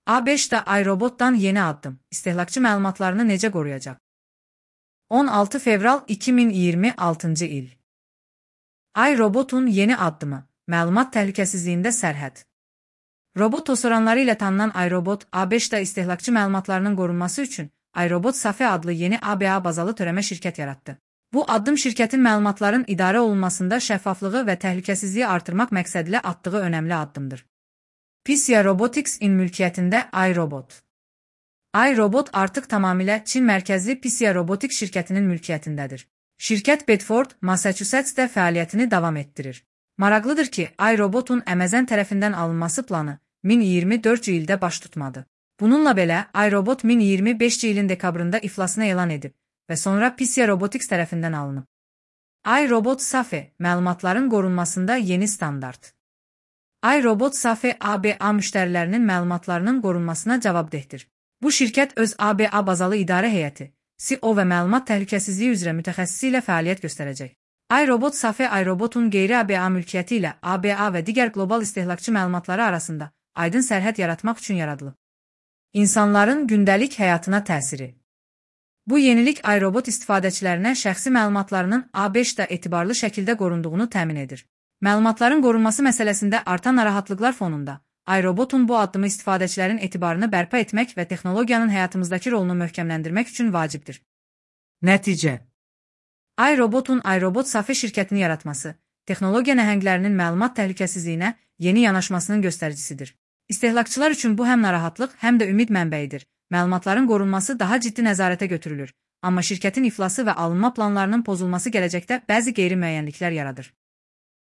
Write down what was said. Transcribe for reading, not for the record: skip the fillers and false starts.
A5'də iRobotdan yeni addım. İstehlakçı məlumatlarını necə qoruyacaq? 16 fevral 2026 il. iRobotun yeni addımı. Məlumat təhlükəsizliyində sərhəd. Robot tosoranları ilə tanınan iRobot, A5'də istehlakçı məlumatlarının qorunması üçün iRobot Safe adlı yeni ABA bazalı törəmə şirkət yaratdı. Bu addım şirkətin məlumatların idarə olunmasında şəffaflığı və təhlükəsizliyi artırmaq məqsədilə atdığı önəmli addımdır. PCI Robotics-in mülkiyyətində iRobot. iRobot artıq tamamilə Çin mərkəzli PCI Robotics şirkətinin mülkiyyətindədir. Şirkət Bedford, Massachusetts'də fəaliyyətini davam etdirir. Maraqlıdır ki, iRobotun Amazon tərəfindən alınması planı 2024 ildə baş tutmadı. Bununla belə, iRobot 2025 ilin dekabrında iflasını elan edib və sonra PCI Robotics tərəfindən alınıb. iRobot Safe, məlumatların qorunmasında yeni standart. iRobot Safe ABA müştərilərinin məlumatlarının qorunmasına cavabdehdir. Bu şirkət öz ABA bazalı idarə heyəti, CEO və məlumat təhlükəsizliyi üzrə mütəxəssisi ilə fəaliyyət göstərəcək. iRobot Safe iRobotun qeyri-ABA mülkiyyəti ilə ABA və digər qlobal istehlakçı məlumatları arasında aydın sərhəd yaratmaq üçün yaradılıb. İnsanların gündəlik həyatına təsiri. Bu yenilik iRobot istifadəçilərinə şəxsi məlumatlarının A5'də etibarlı şəkildə qorunduğunu təmin edir. Məlumatların qorunması məsələsində artan narahatlıqlar fonunda iRobotun bu addımı istifadəçilərin etibarını bərpa etmək və texnologiyanın həyatımızdakı rolunu möhkəmləndirmək üçün vacibdir. Nəticə. iRobotun iRobot Safe şirkətini yaratması, texnologiya nəhənglərinin məlumat təhlükəsizliyinə yeni yanaşmasının göstəricisidir. İstehlakçılar üçün bu həm narahatlıq, həm də ümid mənbəyidir. Məlumatların qorunması daha ciddi nəzarətə götürülür, amma şirkətin iflası və alınma planlarının pozulması gələcəkdə bəzi qeyri-müəyyənliklər yaradır.